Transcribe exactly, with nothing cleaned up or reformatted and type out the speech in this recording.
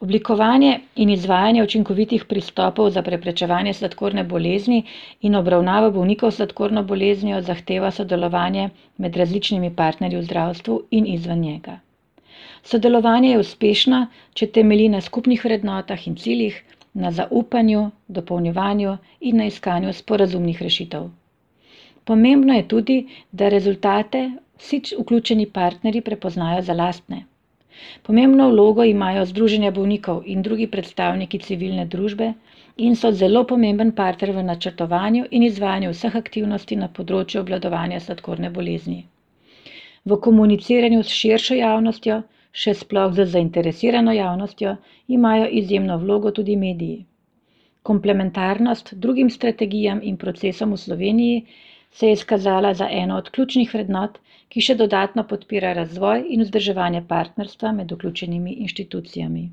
Oblikovanje in izvajanje učinkovitih pristopov za preprečevanje sladkorne bolezni in obravnavo bolnikov s sladkorno boleznijo zahteva sodelovanje med različnimi partnerji v zdravstvu in izven njega. Sodelovanje je uspešno, če temelji na skupnih vrednotah in ciljih, na zaupanju, dopolnjevanju in na iskanju sporazumnih rešitev. Pomembno je tudi, da rezultate vsi vključeni partnerji prepoznajo za lastne. Pomembno vlogo imajo združenja bolnikov in drugi predstavniki civilne družbe in so zelo pomemben partner v načrtovanju in izvajanju vseh aktivnosti na področju obvladovanja sladkorne bolezni. V komuniciranju s širšo javnostjo, še sploh z zainteresirano javnostjo, imajo izjemno vlogo tudi mediji. Komplementarnost drugim strategijam in procesom v Sloveniji se je izkazala za eno od ključnih vrednot, ki še dodatno podpira razvoj in vzdrževanje partnerstva med vključenimi inštitucijami.